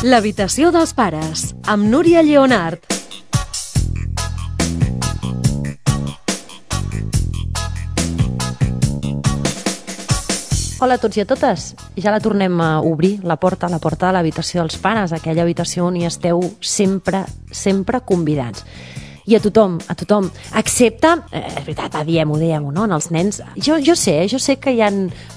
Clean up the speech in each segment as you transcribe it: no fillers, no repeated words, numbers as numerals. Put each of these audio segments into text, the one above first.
L'habitació dels pares, amb Núria Lleonart. Hola a tots i a totes. Ja la tornem a obrir, la porta de l'habitació dels pares, aquella habitació on hi esteu sempre convidats. I a tothom, excepte, és veritat, diem-ho, no?, en els nens. Jo sé que hi ha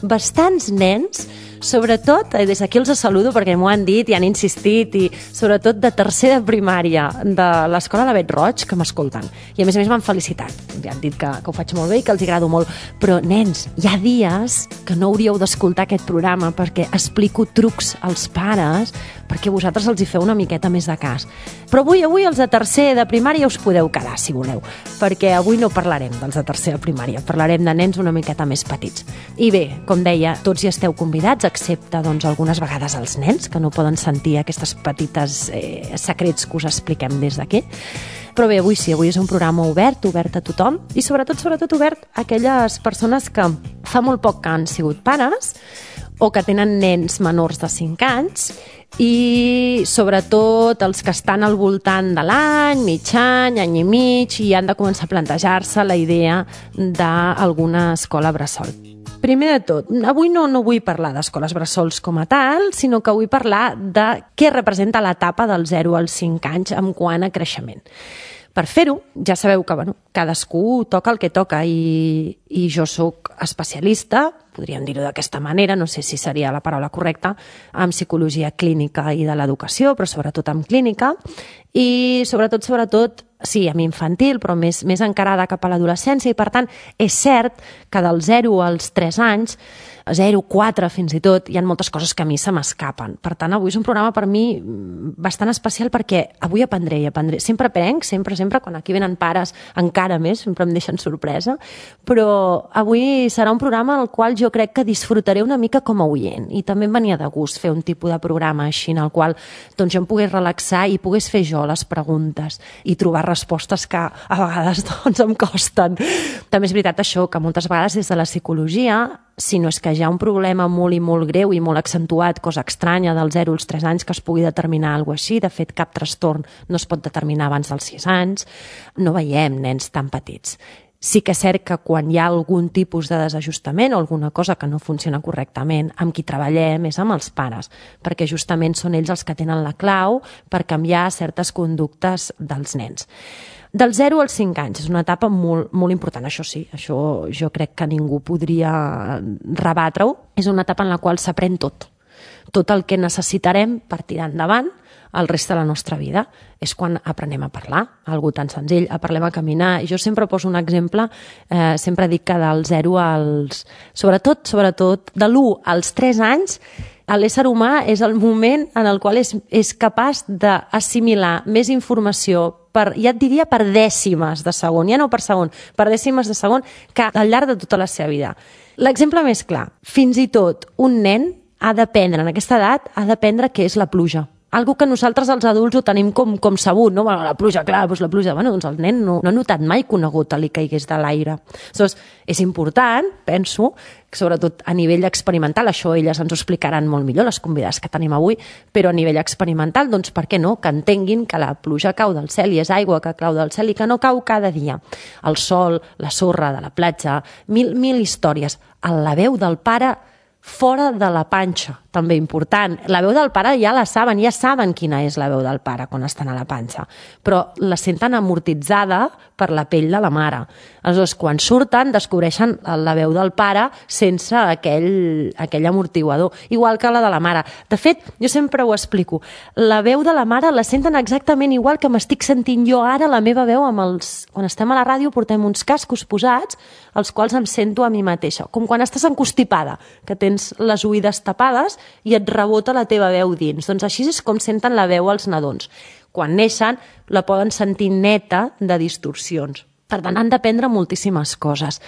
bastants nens, sobretot, des d'aquí els saludo perquè m'ho han dit i han insistit, i sobretot de tercer de primària de l'escola de Bet Roig, que m'escolten. I a més m'han felicitat. Ja han dit que ho faig molt bé i que els agrado molt. Però, nens, hi ha dies que no hauríeu d'escoltar aquest programa perquè explico trucs als pares perquè vosaltres els hi feu una miqueta més de cas. Però avui els de tercer de primària us podeu quedar, si voleu, perquè avui no parlarem dels de tercer de primària, parlarem de nens una miqueta més petits. I bé, com deia, tots hi esteu convidats, excepte doncs, algunes vegades els nens, que no poden sentir aquestes petites secrets que us expliquem des d'aquí. Però bé, avui és un programa obert a tothom i sobretot obert a aquelles persones que fa molt poc que han sigut pares o que tenen nens menors de 5 anys i sobretot els que estan al voltant de l'any, mig any i mig i han de començar a plantejar-se la idea d'alguna escola bressol. Primer de tot, avui no vull parlar d'escoles bressols com a tal, sinó que vull parlar de què representa l'etapa del 0 als 5 anys en quant a creixement. Per fer-ho, ja sabeu que cadascú toca el que toca i jo sóc especialista, podríem dir-ho d'aquesta manera, no sé si seria la paraula correcta, en psicologia clínica i de l'educació, però sobretot en clínica, i sobretot, sí, en infantil, però més encarada cap a l'adolescència, i per tant és cert que del 0 als 3 anys, 0, 4 fins i tot, hi ha moltes coses que a mi se m'escapen. Per tant, avui és un programa per mi bastant especial perquè avui aprendré. Sempre aprenc, sempre, quan aquí venen pares encara més, sempre em deixen sorpresa, però avui serà un programa en el qual jo crec que disfrutaré una mica com a oient i també em venia de gust fer un tipus de programa així en el qual doncs, jo em pogués relaxar i pogués fer jo les preguntes i trobar respostes que a vegades doncs, em costen. També és veritat això, que moltes vegades des de la psicologia, si no és que hi ha un problema molt i molt greu i molt accentuat, cosa estranya del 0 als 3 anys que es pugui determinar alguna cosa així, de fet cap trastorn no es pot determinar abans dels 6 anys, no veiem nens tan petits. Sí que és cert que quan hi ha algun tipus de desajustament o alguna cosa que no funciona correctament, amb qui treballem és amb els pares, perquè justament són ells els que tenen la clau per canviar certes conductes dels nens. Del 0 als 5 anys és una etapa molt important, això sí, això jo crec que ningú podria rebatre-ho. És una etapa en la qual s'aprèn tot el que necessitarem per tirar endavant el reste de la nostra vida. És quan aprenem a parlar, algo tan senzill, aprenem a caminar. Jo sempre poso un exemple, sempre dic que del 0 als... Sobretot de l'1 als 3 anys, l'ésser humà és el moment en el qual és capaç d'assimilar més informació ja et diria per dècimes de segon, ja no per segon, per dècimes de segon, que al llarg de tota la seva vida. L'exemple més clar, fins i tot un nen ha d'aprendre, en aquesta edat, ha d'aprendre què és la pluja. Algo que nosaltres els adults ho tenim com sabut, no? Bueno, la pluja, clar, doncs la pluja. Bueno, doncs el nen no ha notat mai que una gota li caigués de l'aire. Aleshores, és important, penso, sobretot a nivell experimental, això elles ens ho explicaran molt millor, les convidades que tenim avui, però a nivell experimental, doncs per què no? Que entenguin que la pluja cau del cel i és aigua que cau del cel i que no cau cada dia. El sol, la sorra de la platja, mil històries. La veu del pare fora de la panxa, també important. La veu del pare ja saben quina és la veu del pare quan estan a la panxa, però la senten amortitzada per la pell de la mare. Aleshores, quan surten, descobreixen la veu del pare sense aquell amortiguador, igual que la de la mare. De fet, jo sempre ho explico, la veu de la mare la senten exactament igual que m'estic sentint jo ara la meva veu quan estem a la ràdio portem uns cascos posats, els quals em sento a mi mateixa, com quan estàs encostipada, que tens les oïdes tapades i et rebota la teva veu dins. Doncs així és com senten la veu els nadons. Quan neixen la poden sentir neta de distorsions. Per tant, han d'aprendre moltíssimes coses.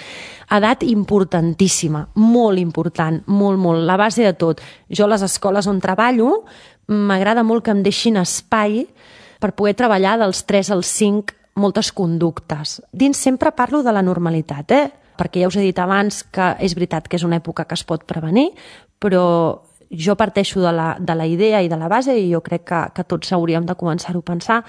Edat importantíssima, molt important, molt. La base de tot. Jo a les escoles on treballo m'agrada molt que em deixin espai per poder treballar dels 3 als 5 moltes conductes. Dins sempre parlo de la normalitat, perquè ja us he dit abans que és veritat que és una època que es pot prevenir, però jo parteixo de la idea i de la base, i jo crec que tots hauríem de començar-ho a pensar,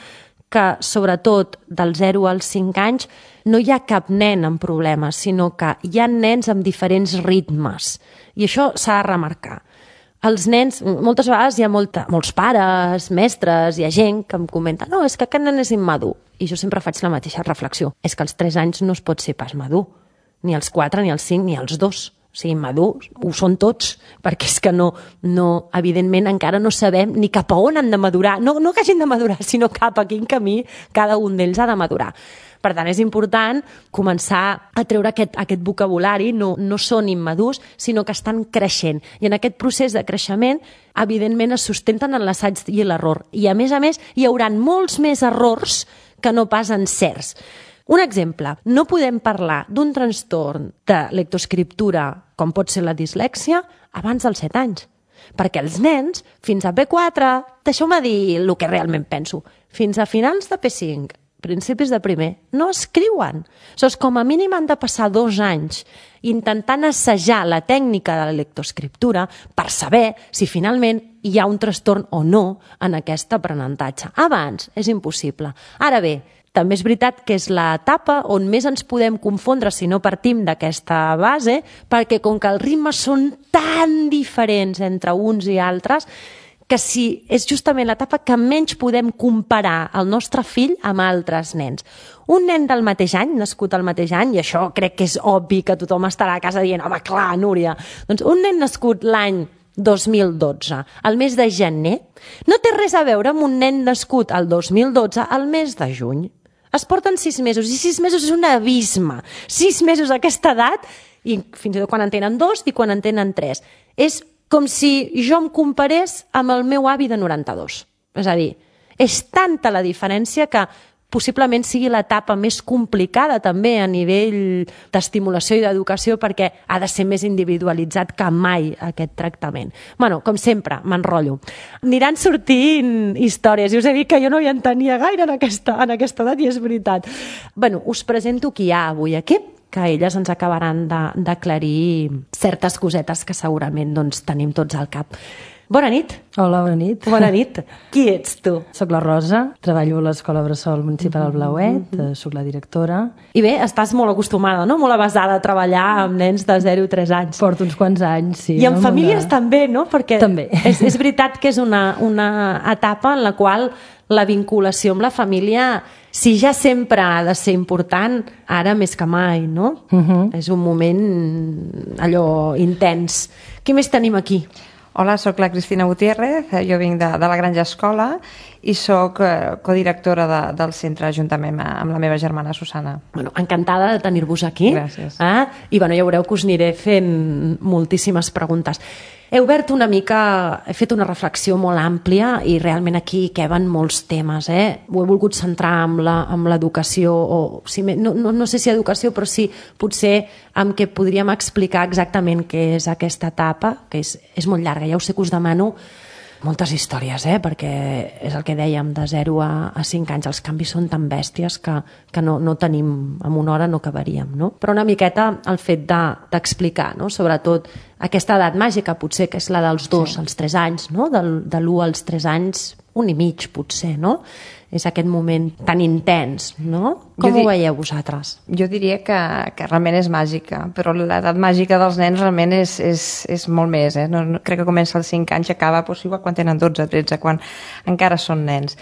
que sobretot del 0 als 5 anys no hi ha cap nen amb problemes, sinó que hi ha nens amb diferents ritmes. I això s'ha de remarcar. Els nens, moltes vegades hi ha molts pares, mestres, hi ha gent que em comenta no, és que aquest nen és immadur. I jo sempre faig la mateixa reflexió. És que als 3 anys no es pot ser pas madur. Ni als 4, ni als 5, ni als 2. O sigui, madurs ho són tots, perquè és que no, evidentment encara no sabem ni cap a on han de madurar. No que hagin de madurar, sinó cap a quin camí cada un d'ells ha de madurar. Per tant, és important començar a treure aquest vocabulari, no són immadurs, sinó que estan creixent. I en aquest procés de creixement, evidentment, es sustenten en l'assaig i l'error. I, a més, hi haurà molts més errors que no pas encerts. Un exemple, no podem parlar d'un trastorn de lectoescriptura, com pot ser la dislèxia, abans dels 7 anys. Perquè els nens, fins a P4, deixeu-me dir el que realment penso, fins a finals de P5, principis de primer, no escriuen. Com a mínim han de passar 2 anys intentant assajar la tècnica de la lectoescriptura per saber si finalment hi ha un trastorn o no en aquest aprenentatge. Abans és impossible. Ara bé, també és veritat que és l'etapa on més ens podem confondre si no partim d'aquesta base, perquè com que els ritmes són tan diferents entre uns i altres, que si és justament l'etapa que menys podem comparar el nostre fill amb altres nens. Un nen del mateix any, nascut al mateix any, i això crec que és obvi que tothom estarà a casa dient home, clar, Núria, doncs un nen nascut l'any 2012, al mes de gener, no té res a veure amb un nen nascut al 2012 al mes de juny. Es porten 6 mesos, i 6 mesos és un abisme. 6 mesos a aquesta edat, i fins i tot quan en tenen 2 i quan en tenen 3. És com si jo em comparés amb el meu avi de 92. És a dir, és tanta la diferència que possiblement sigui l'etapa més complicada també a nivell d'estimulació i d'educació, perquè ha de ser més individualitzat que mai aquest tractament. Bueno, com sempre, m'enrotllo. Aniran sortint històries, i us he dit que jo no hi entenia gaire en aquesta edat, i és veritat. Bueno, us presento qui hi ha avui aquí, que elles ens acabaran d'aclarir certes cosetes que segurament tenim tots al cap. Bona nit. Hola, bona nit. Bona nit. Qui ets tu? Soc la Rosa, treballo a l'Escola Bressol Municipal del Blauet, soc la directora. I bé, estàs molt acostumada, no? Molt avesada a treballar amb nens de 0 a 3 anys. Porto uns quants anys, sí. I amb famílies també, no? Perquè també. És veritat que és una etapa en la qual la vinculació amb la família, si ja sempre ha de ser important, ara més que mai, no? És un moment allò intens. Què més tenim aquí? Hola, sóc la Cristina Gutiérrez, jo vinc de la Granja Escola i sóc codirectora del centre juntament amb la meva germana Susana. Bueno, encantada de tenir-vos aquí. Gràcies. I bueno, ja veureu que us aniré fent moltíssimes preguntes. He obert una mica, he fet una reflexió molt àmplia i realment aquí queben molts temes. Ho he volgut centrar amb l'educació, o no sé si educació, però sí potser amb què podríem explicar exactament què és aquesta etapa, que és molt llarga. Ja us sé que us demano moltes històries, perquè és el que dèiem, de 0 a 5 anys. Els canvis són tan bèsties que no tenim, en una hora no acabaríem, no? Però una miqueta el fet d'explicar, no? Sobretot aquesta edat màgica, potser, que és la dels 2 als 3 anys, no? De l'1 als 3 anys, 1 i mig, potser, no? És aquest moment tan intens, no? Com ho veieu vosaltres? Jo diria que realment és màgica, però l'edat màgica dels nens realment és molt més. No, crec que comença als 5 anys i acaba igual quan tenen 12, 13, quan encara són nens.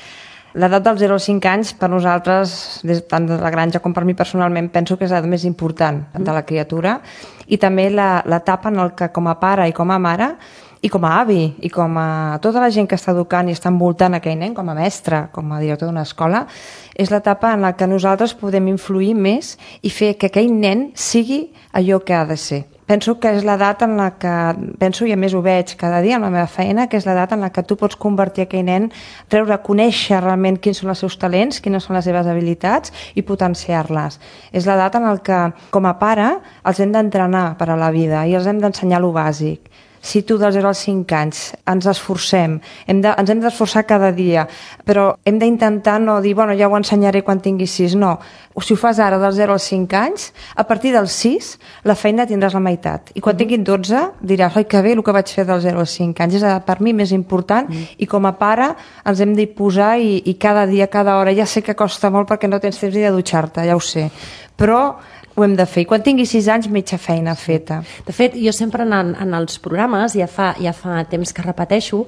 L'edat dels 0 als 5 anys, per nosaltres, tant de la granja com per mi personalment, penso que és l'edat més important de la criatura, i també l'etapa en què com a pare i com a mare i com a avi, i com a tota la gent que està educant i està envoltant aquell nen, com a mestre, com a director d'una escola, és l'etapa en la que nosaltres podem influir més i fer que aquell nen sigui allò que ha de ser. Penso que és l'edat en la que, penso i a més ho veig cada dia amb la meva feina, que és l'edat en la que tu pots convertir aquell nen, conèixer realment quins són els seus talents, quines són les seves habilitats i potenciar-les. És l'edat en la que, com a pare, els hem d'entrenar per a la vida i els hem d'ensenyar lo bàsic. si tu dels 0 als 5 anys ens esforcem, ens hem d'esforçar cada dia, però hem d'intentar no dir, bueno, ja ho ensenyaré quan tingui 6, no. Si ho fas ara dels 0 als 5 anys, a partir dels 6 la feina tindràs la meitat. I quan tinguin 12 diràs, oi, que bé el que vaig fer dels 0 als 5 anys. És per mi més important i com a pare ens hem d'hi posar i cada dia, cada hora. Ja sé que costa molt perquè no tens temps ni de dutxar-te, ja ho sé, però ho hem de fer. I quan tingui 6 anys, mitja feina feta. De fet, jo sempre en els programes, ja fa temps que repeteixo,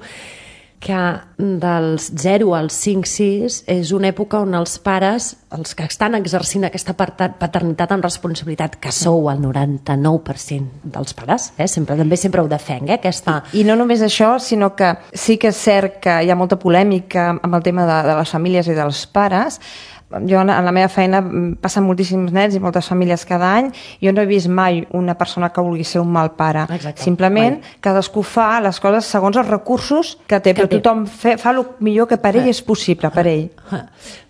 que dels 0 als 5-6 és una època on els pares, els que estan exercint aquesta paternitat amb responsabilitat, que sou el 99% dels pares, sempre ho defenc, aquesta... I no només això, sinó que sí que és cert que hi ha molta polèmica amb el tema de les famílies i dels pares. Jo en la meva feina passen moltíssims nens i moltes famílies cada any. Jo no he vist mai una persona que vulgui ser un mal pare. Exacte. Simplement cadascú fa les coses segons els recursos que té, però tothom fa el millor que per ell és possible, per ell.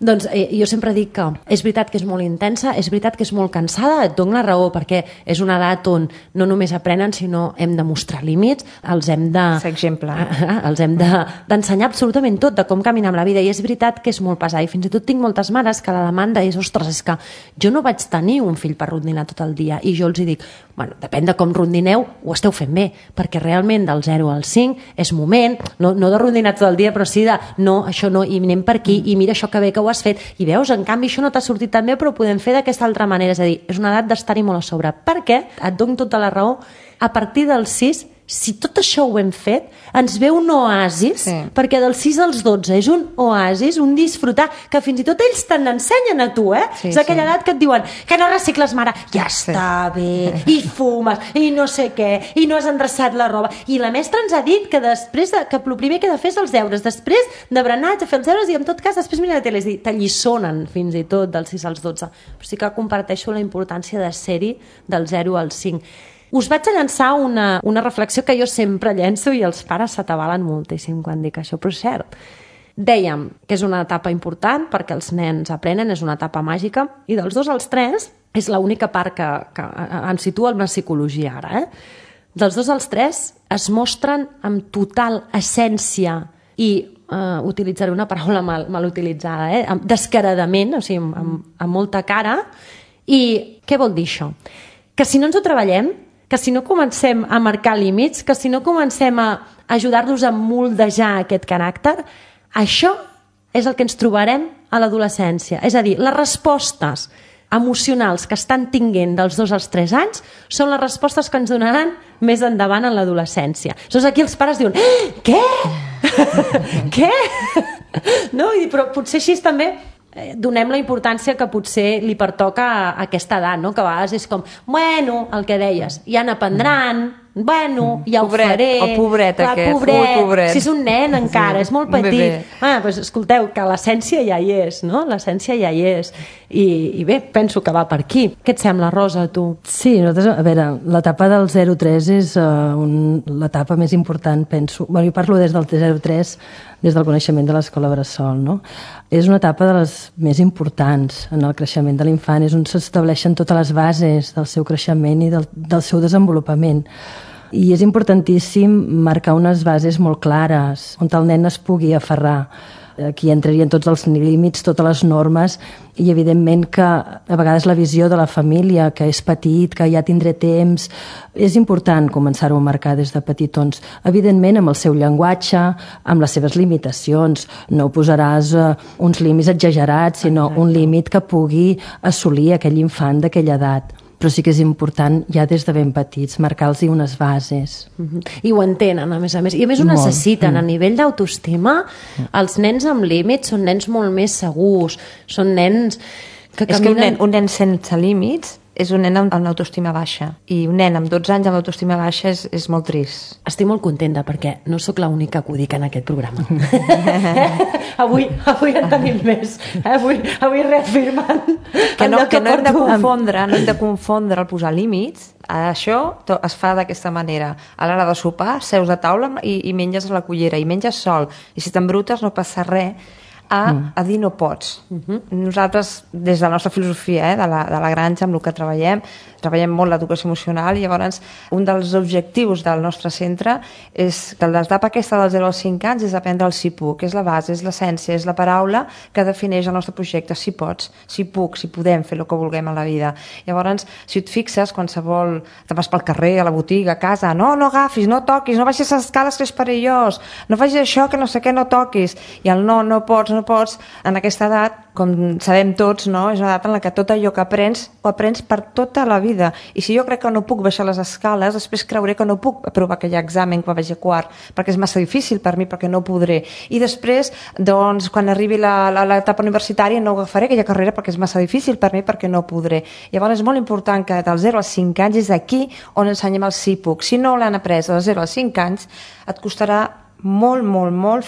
Doncs jo sempre dic que és veritat que és molt intensa, és veritat que és molt cansada, et dono la raó, perquè és una edat on no només aprenen, sinó hem de mostrar límits, els hem de... Ser exemple. Els hem d'ensenyar absolutament tot de com caminar amb la vida, i és veritat que és molt pesat, i fins i tot tinc moltes mares que la demanda és, ostres, és que jo no vaig tenir un fill per rondinar tot el dia, i jo els dic, bueno, depèn de com rondineu, ho esteu fent bé, perquè realment del 0 al 5 és moment, no de rondinar tot el dia, però sí de, no, això no, i anem per aquí, i mira això que bé que ho has fet, i veus, en canvi això no t'ha sortit tan bé, però ho podem fer d'aquesta altra manera, és a dir, és una edat d'estar-hi molt a sobre, perquè, et dono tota la raó, a partir dels 6, si tot això ho hem fet, ens ve un oasis, perquè dels 6 als 12 és un oasis, un disfrutar, que fins i tot ells te n'ensenyen a tu, és aquella edat que et diuen que no recicles, mare, ja està bé, i fumes, i no sé què, i no has endreçat la roba, i la mestra ens ha dit que després que el primer que he de fer és els deures, després de berenar, de fer els deures, i en tot cas després mira la tele, és dir, t'allissonen fins i tot dels 6 als 12, però sí que comparteixo la importància de ser-hi del 0 al 5. Us vaig a llançar una reflexió que jo sempre llenço i els pares s'atabalen moltíssim quan dic això, però és cert. Dèiem que és una etapa important perquè els nens aprenen, és una etapa màgica, i dels 2 als 3 és l'única part que ens situa en la psicologia ara. Dels 2 als 3 es mostren amb total essència i utilitzaré una paraula mal utilitzada, descaradament, o sigui, amb molta cara. I què vol dir això? Que si no ens ho treballem, que si no comencem a marcar límits, que si no comencem a ajudar-los a moldejar aquest caràcter, això és el que ens trobarem a l'adolescència. És a dir, les respostes emocionals que estan tinguent dels 2 als 3 anys són les respostes que ens donaran més endavant en l'adolescència. Llavors aquí els pares diuen, què? Què? No? Però potser així també donem la importància que potser li pertoca a aquesta edat, no? Que a vegades és com, bueno, el que deies, ja n'aprendran, bueno, ja ho faré. El pobret aquest, pobret. Si és un nen encara, és molt petit. Doncs escolteu, que l'essència ja hi és, no? L'essència ja hi és. I bé, penso que va per aquí. Què et sembla, Rosa, a tu? Sí, nosaltres, a veure, l'etapa del 0-3 és l'etapa més important, penso. Bueno, jo parlo des del 0-3, des del coneixement de l'escola Bressol, no? És una etapa de les més importants en el creixement de l'infant, és on s'estableixen totes les bases del seu creixement i del seu desenvolupament. I és importantíssim marcar unes bases molt clares, on el nen es pugui aferrar. Aquí entrarien tots els límits, totes les normes, i evidentment que a vegades la visió de la família, que és petit, que ja tindré temps, és important començar-ho a marcar des de petitons. Evidentment amb el seu llenguatge, amb les seves limitacions, no posaràs uns límits exagerats, sinó un límit que pugui assolir aquell infant d'aquella edat. Però sí que és important, ja des de ben petits, marcar-los unes bases. I ho entenen, a més. I a més ho necessiten. A nivell d'autoestima, els nens amb límits són nens molt més segurs, són nens que caminen... És que un nen sense límits és un nen amb l'autoestima baixa. I un nen amb 12 anys amb l'autoestima baixa és molt trist. Estic molt contenta perquè no sóc l'única que ho dic en aquest programa. Avui en tenim més. Avui reafirmant... Que no hem de confondre el posar límits. Això es fa d'aquesta manera. A l'hora de sopar, seus de taula i menges a la cullera, i menges sol. I si t'embrutes no passa res. a dir no pots. Nosaltres, des de la nostra filosofia de la granja, amb el que treballem molt l'educació emocional, i llavors un dels objectius del nostre centre és que l'etapa aquesta dels 0 als 5 anys és aprendre el si puc, és la base, és l'essència, és la paraula que defineix el nostre projecte, si pots, si puc, si podem fer el que vulguem a la vida. Llavors, si et fixes, qualsevol, te vas pel carrer, a la botiga, a casa, no agafis, no toquis, no baixis les escales que és perillós, no facis això, que no sé què, no toquis, i el no pots, en aquesta edat, com sabem tots, no? És una edat en la que tot allò que aprens, ho aprens per tota la vida. I si jo crec que no puc baixar les escales, després creuré que no puc aprovar aquell examen quan vagi a quart, perquè és massa difícil per mi, perquè no podré. I després, doncs, quan arribi l'etapa universitària, no agafaré aquella carrera perquè és massa difícil per mi, perquè no podré. Llavors és molt important que dels 0 als 5 anys és aquí on ensenyem el sí puc. Si no l'han après dels 0 als 5 anys, et costarà molt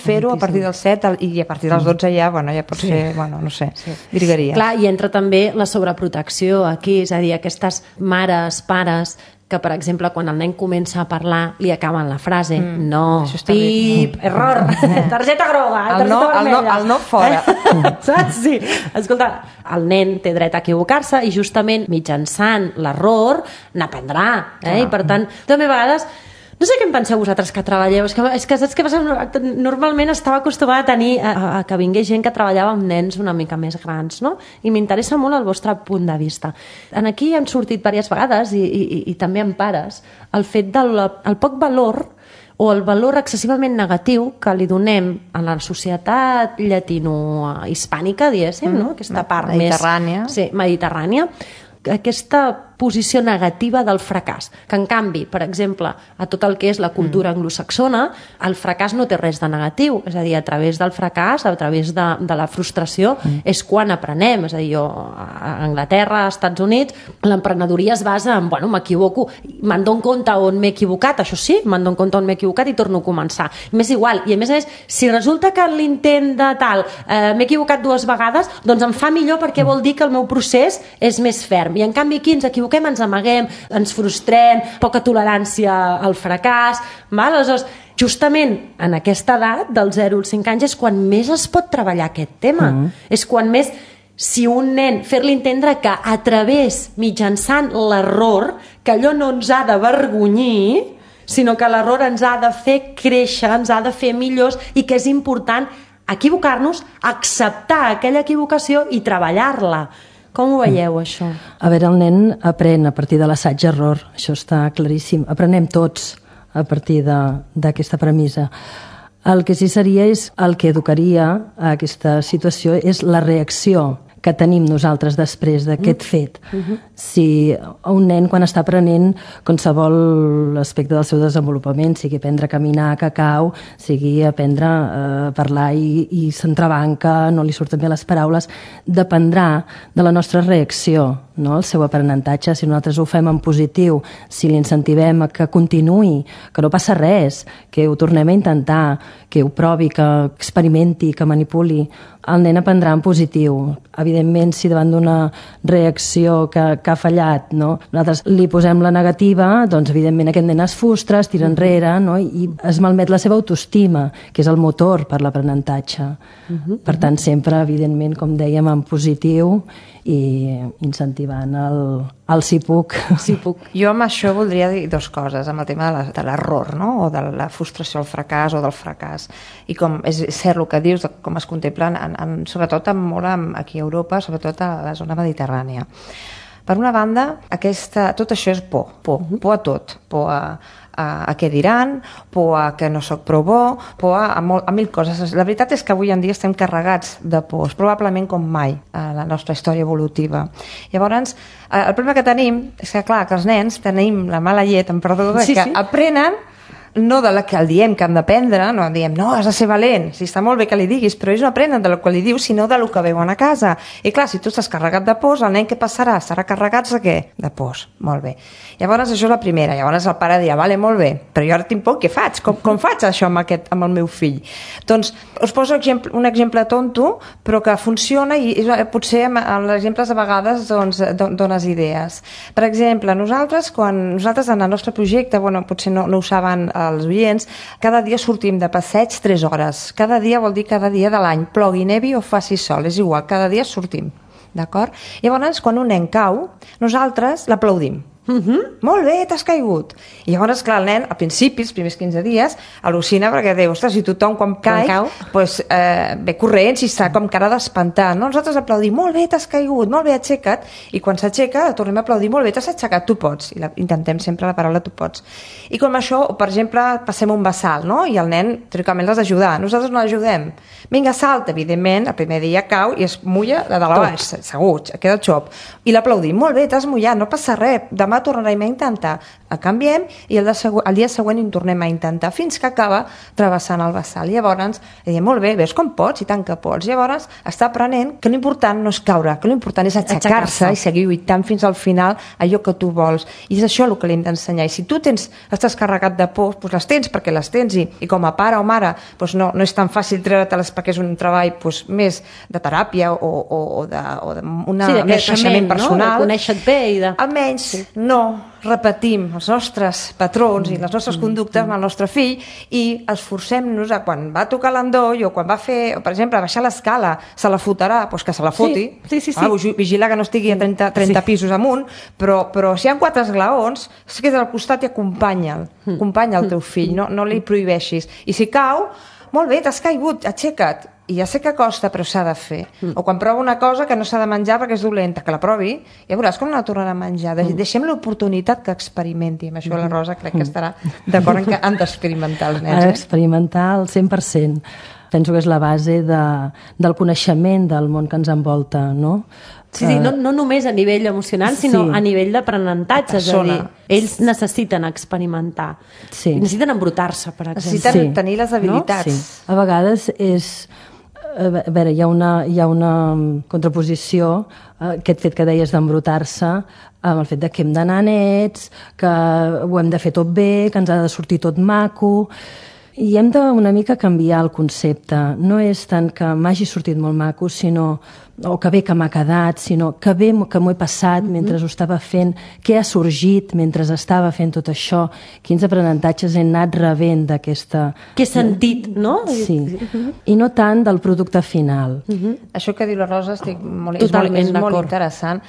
fer-ho a partir dels 7 i a partir dels 12 ja pot ser, no sé, virgueria. Clar, i entra també la sobreprotecció aquí, és a dir, aquestes mares, pares, que, per exemple, quan el nen comença a parlar, li acaben la frase, no, pip, error, targeta groga, targeta vermella. El no fora. Saps? Sí. Escolta, el nen té dret a equivocar-se i justament mitjançant l'error n'aprendrà. I per tant, també a vegades... No sé què en penseu vosaltres que treballeu, és que saps què passa? Normalment estava acostumada a tenir a que vingués gent que treballava amb nens una mica més grans, no? I m'interessa molt el vostre punt de vista. Aquí han sortit diverses vegades, i també amb pares, el fet del poc valor o el valor excessivament negatiu que li donem a la societat llatino-hispànica, diguéssim, no? Aquesta part mediterrània. Sí, mediterrània. Aquesta posició negativa del fracàs, que en canvi, per exemple, a tot el que és la cultura anglosaxona, el fracàs no té res de negatiu, és a dir, a través del fracàs, a través de la frustració, és quan aprenem. És a dir, jo a Anglaterra, als Estats Units, l'emprenedoria es basa en, m'equivoco, me'n dono compte on m'he equivocat, això sí, me'n dono compte on m'he equivocat i torno a començar. M'és igual, i a més, si resulta que l'intent de tal m'he equivocat 2 vegades, doncs em fa millor perquè vol dir que el meu procés és més ferm. I en canvi aquí ens equivoquem, ens amaguem, ens frustrem, poca tolerància al fracàs. Aleshores, justament en aquesta edat, del 0 als 5 anys, és quan més es pot treballar aquest tema. És quan més, si un nen, fer-li entendre que a través, mitjançant l'error, que allò no ens ha d'avergonyir, sinó que l'error ens ha de fer créixer, ens ha de fer millors, i que és important equivocar-nos, acceptar aquella equivocació i treballar-la. Com ho veieu, això? A veure, el nen aprèn a partir de l'assaig-error, això està claríssim. Aprenem tots a partir d'aquesta premissa. El que sí seria és el que educaria a aquesta situació és la reacció que tenim nosaltres després d'aquest fet. Si un nen, quan està aprenent qualsevol aspecte del seu desenvolupament, sigui aprendre a caminar, cacau, sigui aprendre a parlar i s'entrebanca, no li surten bé les paraules, dependrà de la nostra reacció, no? El seu aprenentatge. Si nosaltres ho fem en positiu, si l'incentivem a que continuï, que no passa res, que ho tornem a intentar, que ho provi, que experimenti, que manipuli, el nen aprendrà en positiu. Evidentment, si davant d'una reacció que ha fallat, no, nosaltres li posem la negativa, doncs evidentment aquest nen es frustra, es tira enrere, no, i es malmet la seva autoestima, que és el motor per l'aprenentatge. Per tant, sempre, evidentment, com dèiem, en positiu i incentivant el si puc. Sí puc. Jo amb això voldria dir 2 coses, amb el tema de l'error, no? O de la frustració al fracàs o del fracàs. I com és cert el que dius, com es contemplen, sobretot molt aquí a Europa, sobretot a la zona mediterrània. Per una banda, tot això és por a tot, por a què diran, por a que no sóc prou bo, por a 1000 coses. La veritat és que avui en dia estem carregats de pors, probablement com mai a la nostra història evolutiva. Llavors, el problema que tenim és que, clar, que els nens tenim la mala llet, em perdó, que aprenen no de la que el diem que han d'aprendre, no diem, no, has de ser valent, si està molt bé que li diguis, però ells no aprenen de lo que li dius, sinó de lo que veuen a casa. I clar, si tu estàs carregat de pors, el nen què passarà? Estarà carregat de què? De pors. Molt bé. Llavors, això és la primera. Llavors el pare dirà, vale, molt bé, però jo ara tinc por, què faig? Com faig això amb el meu fill? Doncs us poso un exemple tonto, però que funciona i potser amb els exemples a vegades dones idees. Per exemple, nosaltres en el nostre projecte, potser no ho saben als oients, cada dia sortim de passeig 3 hores. Cada dia vol dir cada dia de l'any, plogui, nevi o faci sol, és igual, cada dia sortim. D'acord? Llavors, quan un nen cau, nosaltres l'aplaudim. Molt bé, t'has caigut. I llavors, clar, el nen, al principi, els primers 15 dies, al·lucina perquè diu, ostres, si tothom quan cau, doncs, ve corrents i està com cara d'espantar. No? Nosaltres aplaudim, molt bé, t'has caigut, molt bé, aixeca't. I quan s'aixeca, tornem a aplaudir, molt bé, t'has aixecat, tu pots. I intentem sempre la paraula tu pots. I com això, per exemple, passem un bassal, no? I el nen, teòricament, l'has d'ajudar. Nosaltres no l'ajudem. Vinga, salta, evidentment, el primer dia cau i es mulla de dalt a baix, segur, queda xop. I l'aplaudim, molt bé, t'has mullat, no passa res, demà tornarem a intentar. El canviem i el dia següent hi tornem a intentar fins que acaba travessant el bassal. Llavors, diem, molt bé, veus com pots? I tant que pots. Llavors, està aprenent que l'important no és caure, que l'important és aixecar-se i seguir lluitant fins al final allò que tu vols. I és això el que li hem d'ensenyar. I si tu estàs carregat de pors, doncs les tens perquè les tens i com a pare o mare doncs no és tan fàcil treure-te-les perquè és un treball doncs, més de teràpia o d'un creixement personal. De conèixer-te bé i de... Almenys no repetim els nostres patrons i les nostres conductes amb el nostre fill i esforcem-nos a quan va tocar l'endoll o quan va fer, per exemple, baixar l'escala, se la fotrà, doncs que se la foti. Sí. Vigila que no estigui a 30 pisos amunt, però si hi ha 4 esglaons, es queda al costat i acompanya'l. Acompanya el teu fill, no li prohibeixis. I si cau, molt bé, t'has caigut, aixeca't. I ja sé que costa, però s'ha de fer. O quan prova una cosa que no s'ha de menjar perquè és dolenta, que la provi, ja veuràs com no la tornarà a menjar. Deixem l'oportunitat que experimenti. Amb això la Rosa crec que estarà d'acord en que han d'experimentar els nens. Experimentar al 100%. Penso que és la base del coneixement del món que ens envolta, no? Sí, no només a nivell emocional, sinó a nivell d'aprenentatge. És a dir, ells necessiten experimentar. Sí. Necessiten embrutar-se, per exemple. Necessiten tenir les habilitats. No? Sí. A vegades és... A veure, hi ha una contraposició, aquest fet que deies d'embrutar-se, amb el fet que hem d'anar nets, que ho hem de fer tot bé, que ens ha de sortir tot maco... I hem de una mica canviar el concepte. No és tant que m'hagi sortit molt maco, o que bé que m'ha quedat, sinó que bé que m'ho he passat mentre ho estava fent, què ha sorgit mentre estava fent tot això, quins aprenentatges he anat rebent d'aquesta... Què he sentit, no? Sí, i no tant del producte final. Això que diu la Rosa és molt interessant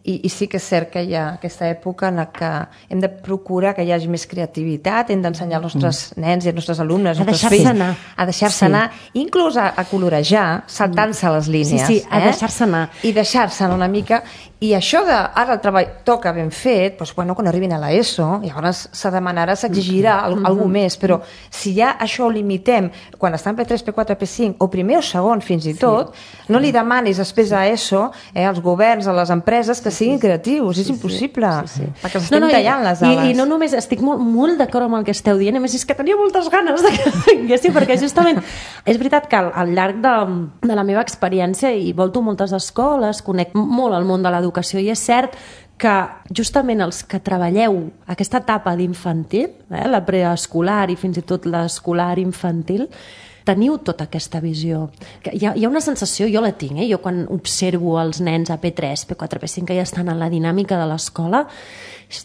i sí que és cert que hi ha aquesta època en què hem de procurar que hi hagi més creativitat, hem d'ensenyar als nostres nens i als nostres alumnes, a deixar-se anar. A deixar-se anar, inclús a colorejar, saltant-se les línies. Sí, a deixar-se anar. I deixar-se anar una mica. I això de, ara el treball toca ben fet, doncs, bueno, quan arribin a l'ESO, llavors se demanarà, s'exigirà alguna més, però si ja això ho limitem, quan està en P3, P4, P5, o primer o segon fins i tot, no li demanis després a ESO, als governs, a les empreses, que siguin creatius, és impossible, perquè els estem tallant les ales. I no només, estic molt d'acord amb el que esteu dient, a més és que tenia moltes ganes que vinguessin, perquè justament és veritat que al llarg de la meva experiència, i volto moltes escoles, conec molt el món de l'educació, i és cert que justament els que treballeu aquesta etapa d'infantil, la preescolar i fins i tot l'escolar infantil, teniu tota aquesta visió. Hi ha una sensació, jo la tinc, jo quan observo els nens a P3, P4, P5 que ja estan en la dinàmica de l'escola,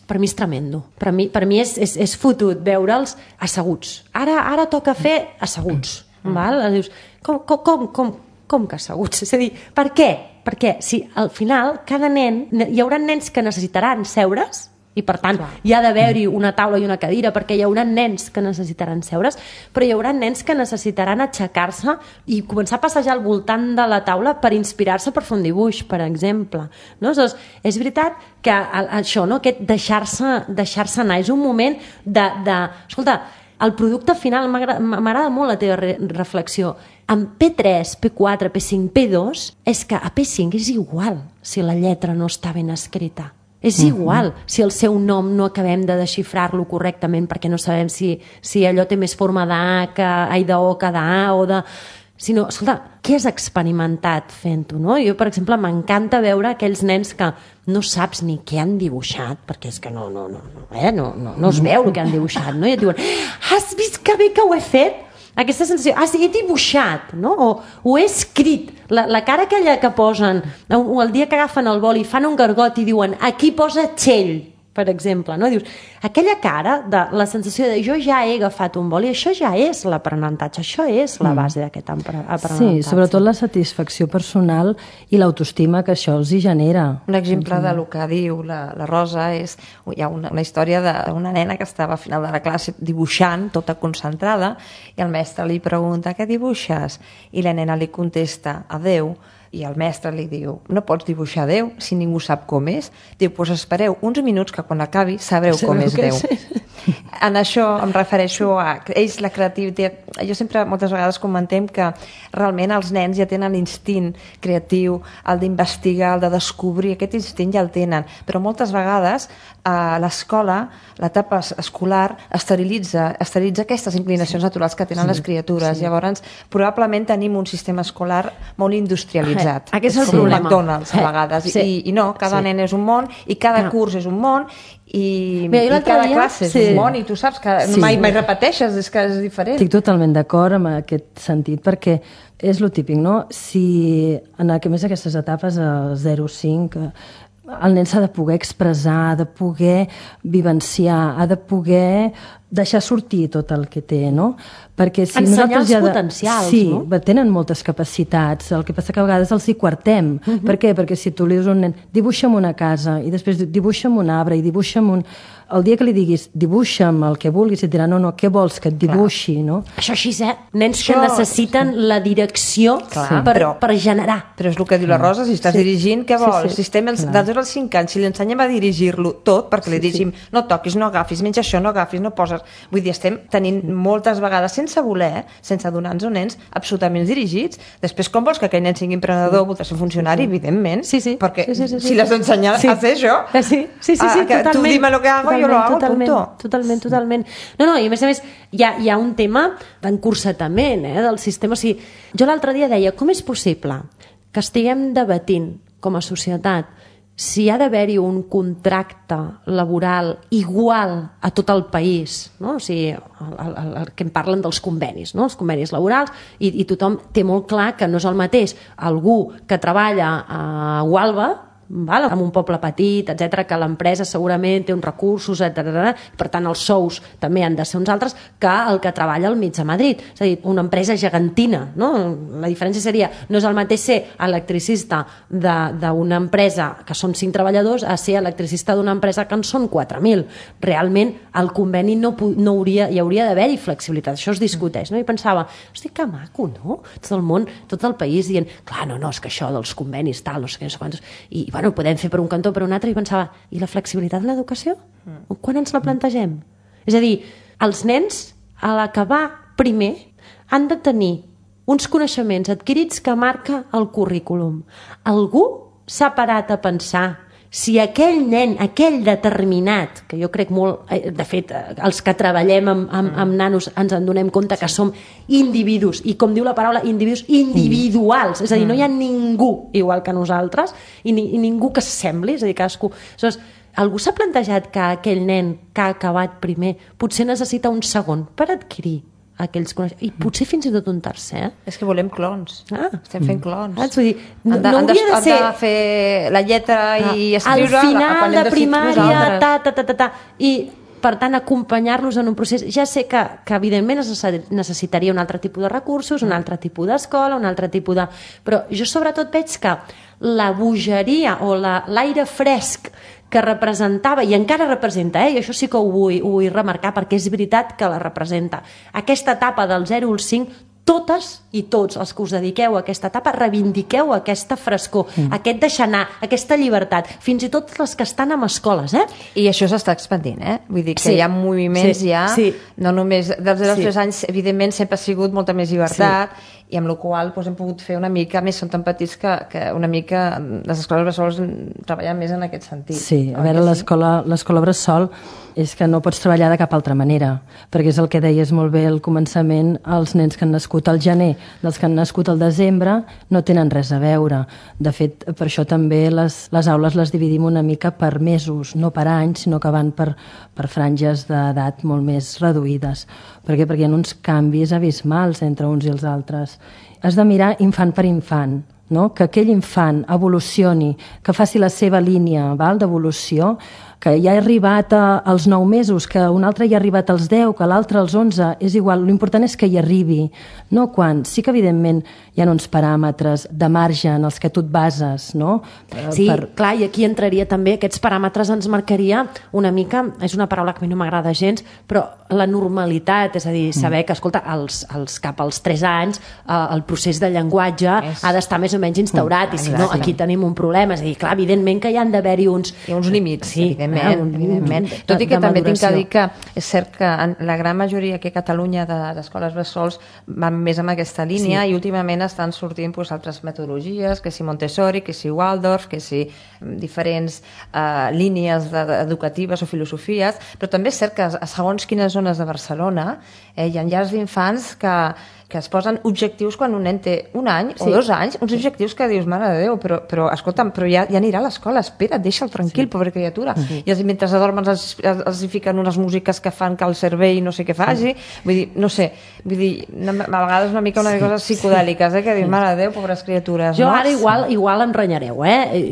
per mi és tremendo. Per mi és fotut veure'ls asseguts. Ara toca fer asseguts. Val? Dius, com que asseguts? És a dir, per què? Perquè si al final cada nen, hi haurà nens que necessitaran seure's i per tant hi ha d'haver-hi una taula i una cadira perquè hi haurà nens que necessitaran seure's, però hi haurà nens que necessitaran aixecar-se i començar a passejar al voltant de la taula per inspirar-se per fer un dibuix, per exemple. No? Doncs és veritat que això, no? Aquest deixar-se anar és un moment escolta, el producte final, m'agrada molt la teva reflexió. En P3, P4, P5, P2, és que a P5 és igual si la lletra no està ben escrita. És igual si el seu nom no acabem de desxifrar-lo correctament perquè no sabem si allò té més forma d'A d'O que d'A o de... Sinó, escolta, què has experimentat fent-ho, no? Jo, per exemple, m'encanta veure aquells nens que no saps ni què han dibuixat, perquè és que no es veu el que han dibuixat, no? I et diuen, has vist que bé que ho he fet? Aquesta sensació, he dibuixat, no? O he escrit, la cara aquella que posen, o el dia que agafen el boli i fan un gargot i diuen, aquí posa Txell, per exemple, no? Dius, aquella cara de la sensació de jo ja he agafat un vol, i això ja és l'aprenentatge, això és la base d'aquest aprenentatge. Sí, sobretot la satisfacció personal i l'autoestima que això els hi genera. Un exemple del que diu la Rosa és, hi ha una història d'una nena que estava al final de la classe dibuixant, tota concentrada, i el mestre li pregunta, què dibuixes? I la nena li contesta, adeu. I el mestre li diu, no pots dibuixar Déu si ningú sap com és. Diu, doncs espereu uns minuts que quan acabi sabreu com és Déu. En això em refereixo a ells, la creativitat. Jo sempre, moltes vegades comentem que realment els nens ja tenen l'instint creatiu, el d'investigar, el de descobrir, aquest instint ja el tenen, però moltes vegades a l'escola, l'etapa escolar esterilitza aquestes inclinacions naturals que tenen les criatures. Llavors, probablement tenim un sistema escolar molt industrialitzat. Aquest és el com problema. McDonald's, a vegades. I no, cada nen és un món, i cada curs és un món, i cada classe és un món, i tu saps que mai repeteixes, és que és diferent. Estic totalment d'acord amb aquest sentit, perquè és lo típic, no? Si en més aquestes etapes, el 0-5, el nen s'ha de poder expressar, ha de poder vivenciar, ha de poder deixar sortir tot el que té, no? Perquè si ensenyar els potencials, no? Sí, tenen moltes capacitats, el que passa que a vegades els hi quartem. Per què? Perquè si tu li dius a un nen, dibuixa'm una casa, i després dibuixa'm un arbre, i dibuixa'm un... El dia que li diguis, dibuixa'm el que vulguis, et dirà, no, què vols que et dibuixi, no? Això així, Nens que necessiten la direcció per generar. Però és el que diu la Rosa, si estàs dirigint, què vols? Si estem dels 2 als 5 anys, si li ensenyem a dirigir-lo tot, perquè li diguem, no toquis, no agafis, menja això, no agafis, no poses... Vull dir, estem tenint moltes vegades, sense voler, sense donar-nos nens absolutament dirigits. Després, com vols que aquell nen sigui emprenedor, vol ser funcionari, evidentment, perquè si l'has d'ensenyar a fer això, totalment. Tu dime lo que hago, jo lo hago, punto. Totalment. No, i a més, hi ha un tema d'encursatament del sistema. O sigui, jo l'altre dia deia, com és possible que estiguem debatint com a societat si ha d'haver-hi un contracte laboral igual a tot el país, no? O sigui, el que em parlen dels convenis, no? Els convenis laborals, i tothom té molt clar que no és el mateix algú que treballa a Gualba, en un poble petit, etc, que l'empresa segurament té uns recursos, etc. Per tant, els sous també han de ser uns altres que el que treballa al mig de Madrid. És a dir, una empresa gegantina, no? La diferència seria, no és el mateix ser electricista d'una empresa que són 5 treballadors a ser electricista d'una empresa que en són 4.000. Realment, el conveni hi hauria d'haver-hi flexibilitat. Això es discuteix, no? I pensava, hosti, que maco, no? Tot el món, tot el país dient, clar, no, és que això dels convenis, tal, no sé què, no sé quantos... I, bueno, podem fer per un cantó, per un altre, i pensava, i la flexibilitat de l'educació? Quan ens la plantegem? És a dir, els nens, a l'acabar primer, han de tenir uns coneixements adquirits que marca el currículum. Algú s'ha parat a pensar si aquell nen, aquell determinat, que jo crec molt, de fet, els que treballem amb nanos ens en donem compte que som individus, i com diu la paraula, individus individuals, és a dir, no hi ha ningú igual que nosaltres, i ningú que s'assembli, és a dir, cadascú... Aleshores, algú s'ha plantejat que aquell nen que ha acabat primer potser necessita un segon per adquirir aquells coneixements, i potser fins i tot un tercer. És que volem clons. Estem fent clons. Vull dir, no hauria de ser... Han de fer la lletra i escriure... Al final de primària, i per tant acompanyar-los en un procés. Ja sé que evidentment es necessitaria un altre tipus de recursos, un altre tipus d'escola, un altre tipus de... Però jo sobretot veig que la bogeria o l'aire fresc que representava, i encara representa, i això sí que ho vull remarcar perquè és veritat que la representa, aquesta etapa del 0 al 5, totes i tots els que us dediqueu a aquesta etapa reivindiqueu aquesta frescor, aquest deixar anar, aquesta llibertat, fins i tot les que estan en escoles, I això s'està expandint, Vull dir que hi ha moviments no només dels 0 als 3 anys, evidentment sempre ha sigut molta més llibertat, i amb la qual cosa hem pogut fer una mica, més són tan petits que una mica les escoles bressols treballen més en aquest sentit. Sí, a veure, l'escola bressol és que no pots treballar de cap altra manera, perquè és el que deies molt bé al començament, els nens que han nascut al gener, dels que han nascut al desembre, no tenen res a veure. De fet, per això també les aules les dividim una mica per mesos, no per anys, sinó que van per franges d'edat molt més reduïdes. Per què? Perquè hi ha uns canvis abismals entre uns i els altres. Has de mirar infant per infant, no? Que aquell infant evolucioni, que faci la seva línia d'evolució, que ja ha arribat als 9 mesos, que un altre ja ha arribat als 10, que l'altre als 11, és igual, l'important és que hi arribi, no quan. Sí que evidentment hi ha uns paràmetres de marge en els que tu et bases, no? Sí, clar, i aquí entraria també, aquests paràmetres ens marcaria una mica, és una paraula que a mi no m'agrada gens, però la normalitat, és a dir, saber que, escolta, cap als 3 anys el procés de llenguatge ha d'estar més o menys instaurat, i si no, aquí tenim un problema. És a dir, clar, evidentment que hi han d'haver-hi uns límits, sí, evidentment. Tot i que també tinc que dir que és cert que la gran majoria aquí a Catalunya d'escoles bressols van més en aquesta línia, i últimament estan sortint altres metodologies, que si Montessori, que si Waldorf, que si diferents línies educatives o filosofies, però també és cert que a segons quines zones de Barcelona hi ha llars d'infants que es posen objectius quan un nen té 1 any o 2 anys, uns objectius que dius, mare de Déu, però escolta'm, però ja anirà a l'escola, espera't, deixa'l tranquil, pobra criatura. I mentre adormen els fiquen unes músiques que fan que el cervell no sé què faci, vull dir, no sé, a vegades una mica coses psicodèliques, que dius, mare de Déu, pobres criatures. Jo ara igual em renyareu,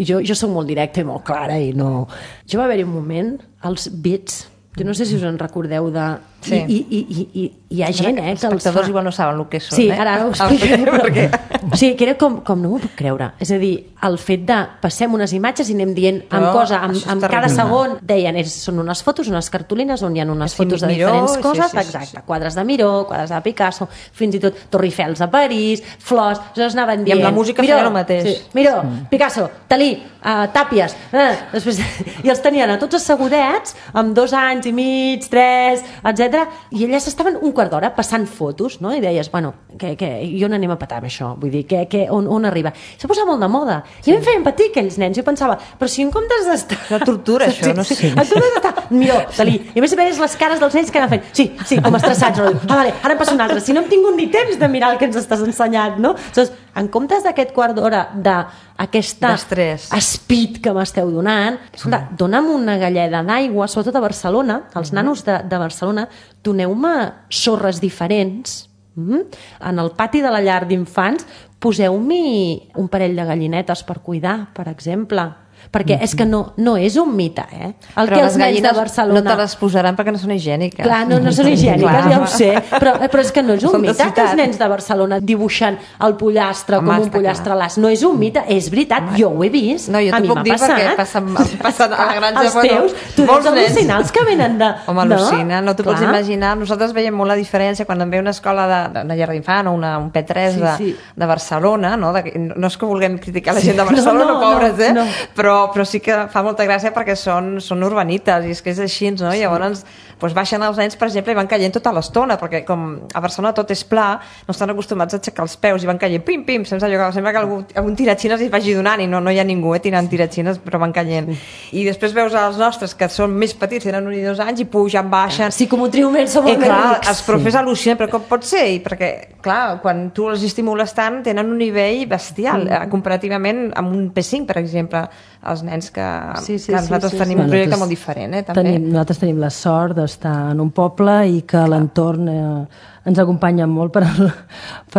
jo soc molt directa i molt clara i no... Jo va haver-hi un moment, els bits, jo no sé si us en recordeu de... Sí. I hi ha gent, Els espectadors igual no saben el que són, Sí, ara ho explicaré, O sigui, que era com no m'ho puc creure. És a dir, el fet de passem unes imatges i anem dient amb cada segon, deien, són unes fotos, unes cartolines on hi ha unes fotos de diferents coses, exacte, quadres de Miró, quadres de Picasso, fins i tot Torre Eiffel a París, flors, llavors anaven dient... I amb la música feia el mateix. Miró, Picasso, Dalí, Tàpies, després, i els tenien a tots assegudets, amb 2 anys i mig, 3, etc. I elles estaven un quart d'hora passant fotos, no? I deies, bueno, i on anem a petar amb això? Vull dir, on arriba? S'ha posat molt de moda. I em feien patir aquells nens. Jo pensava, però si en comptes d'estar... La tortura, això, no sé. En comptes d'estar, Miró, Dalí. I a més veies les cares dels nens que anaven fent, sí, com estressats. Vale, ara en passa un altre. Si no hem tingut ni temps de mirar el que ens estàs ensenyant, no? Llavors, en comptes d'aquest quart d'hora d'aquesta speed que m'esteu donant, escolta, dona'm una galleda d'aigua, sobretot a Barcelona, els nanos de Barcelona, doneu-me sorres diferents, en el pati de la llar d'infants poseu-m'hi un parell de gallinetes per cuidar, per exemple, perquè és que no és un mite, el però que els nens de Barcelona... no te les posaran perquè no són higièniques. Clar, no són higièniques, ja ho sé, però és que no és un mite que els nens de Barcelona dibuixen el pollastre com un pollastre a l'as, no és un mite, és veritat, jo ho he vist, no, jo a mi m'ha passat. Passen a la granja, els teus, tu deus al·lucinar els que venen de... Home, al·lucina, no t'ho pots imaginar. Nosaltres veiem molt la diferència quan em ve una escola d'una llar d'infant o un P3 de Barcelona, no és que vulguem criticar la gent de Barcelona, pobres, però sí que fa molta gràcia perquè són urbanites i és que és així, no? I llavors baixen els nens, per exemple, i van caient tota l'estona, perquè com a Barcelona tot és pla, no estan acostumats a aixecar els peus i van caient pim, pim, sembla que algun tiratxines es vagi donant i no hi ha ningú tirant tiratxines, però van caient. I després veus els nostres, que són més petits, tenen 1 i 2 anys, i pugen, baixen... Sí, com un triomel som molt més rics. Els profes al·lucinen, però com pot ser? Perquè, clar, quan tu els estimules tant, tenen un nivell bestial, comparativament amb un P5, per exemple, els nens que nosaltres tenim un projecte molt diferent, també. Nosaltres tenim la sort d'estar en un poble i que l'entorn ens acompanya molt per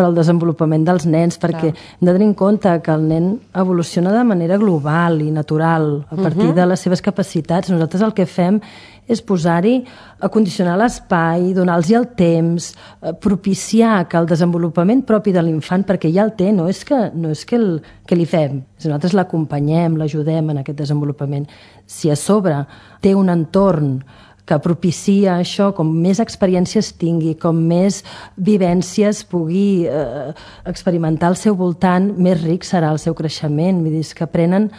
al desenvolupament dels nens, perquè hem de tenir en compte que el nen evoluciona de manera global i natural a partir de les seves capacitats. Nosaltres el que fem és posar-hi, acondicionar l'espai, donar-los el temps, propiciar que el desenvolupament propi de l'infant, perquè ja el té, no és que li fem, nosaltres l'acompanyem, l'ajudem en aquest desenvolupament. Si a sobre té un entorn que propicia això, com més experiències tingui, com més vivències pugui experimentar al seu voltant, més ric serà el seu creixement. Vull dir, que aprenen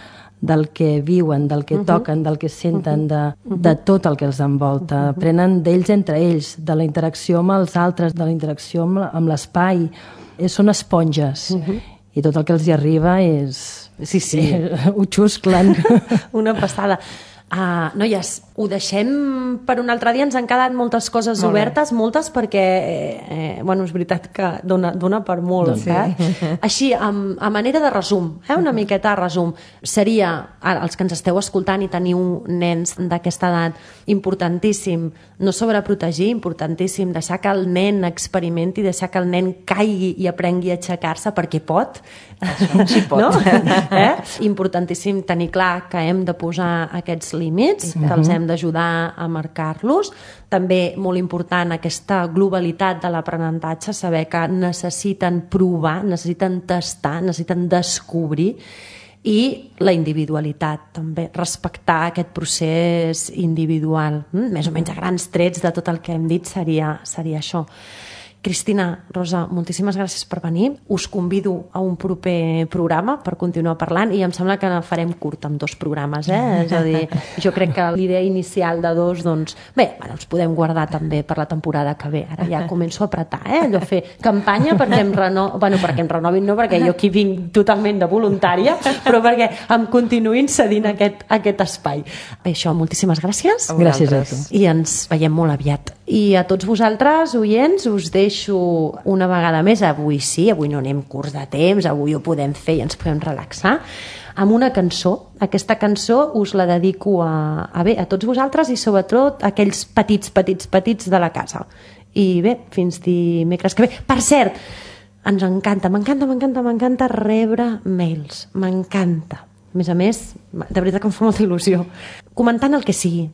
del que viuen, del que toquen, del que senten, de tot el que els envolta. Aprenen d'ells entre ells, de la interacció amb els altres, de la interacció amb l'espai. Són esponges. I tot el que els hi arriba és... Sí. Ho xusclen. Una passada. Noies, Ho deixem per un altre dia, ens han quedat moltes coses obertes, moltes, perquè, bueno, és veritat que dona per molt. Sí. Així, a manera de resum, una miqueta de resum, seria, els que ens esteu escoltant i teniu nens d'aquesta edat, importantíssim no sobreprotegir, importantíssim deixar que el nen experimenti, deixar que el nen caigui i aprengui a aixecar-se perquè pot. Sí pot. No? Importantíssim tenir clar que hem de posar aquests límits, que els hem d'ajudar a marcar-los. També molt important aquesta globalitat de l'aprenentatge, saber que necessiten provar, necessiten tastar, necessiten descobrir, i la individualitat també, respectar aquest procés individual. Més o menys a grans trets de tot el que hem dit seria això. Cristina, Rosa, moltíssimes gràcies per venir. Us convido a un proper programa per continuar parlant i em sembla que farem curt amb 2 programes, És a dir, jo crec que l'idea inicial de 2, doncs, bé, els podem guardar també per la temporada que ve. Ara ja començo a apretar, allò fer campanya perquè em renovin, no perquè jo aquí vinc totalment de voluntària, però perquè em continuïn cedint aquest espai. Bé, això, moltíssimes gràcies. Gràcies a tu. I ens veiem molt aviat. I a tots vosaltres, oients, us deixo una vegada més, avui no anem curts de temps, avui ho podem fer i ens podem relaxar, amb una cançó. Aquesta cançó us la dedico a tots vosaltres i sobretot a aquells petits de la casa. I bé, fins dimecres que ve. Per cert, ens m'encanta rebre mails, m'encanta. A més, de veritat que em fa molta il·lusió. Comentant el que sigui,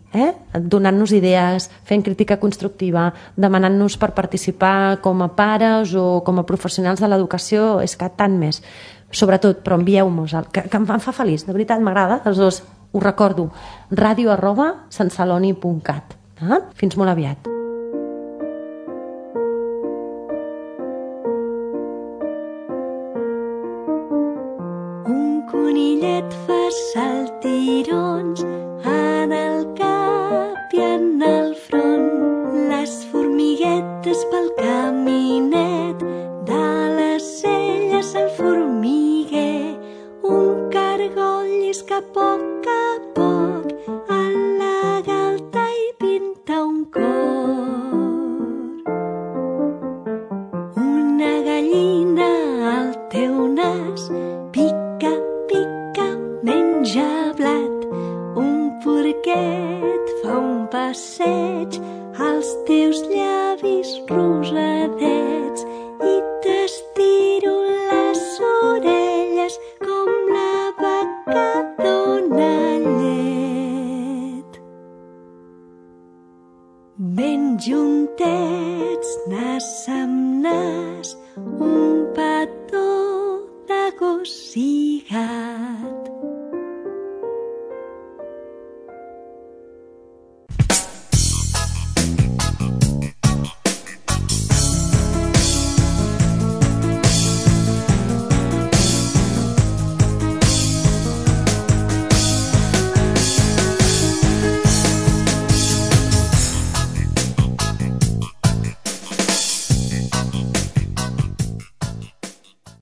donant-nos idees, fent crítica constructiva, demanant-nos per participar com a pares o com a professionals de l'educació, és que tant més. Sobretot, però envieu-nos, que em fa feliç, de veritat m'agrada, els 2, us recordo, radio@santceloni.cat. Fins molt aviat. Conillet fa saltirons en el cap i en el front, les formiguetes pel caminet, de les celles el formiguer, un cargol llisca a poc en la galta i pinta un cor. Una gallina al teu nas pica, menja blat, un porquet fa un passeig als teus llavis rosadets i t'estiro les orelles com la vaca dona llet. Ben juntets, nas amb nas, un petó de gos i gat.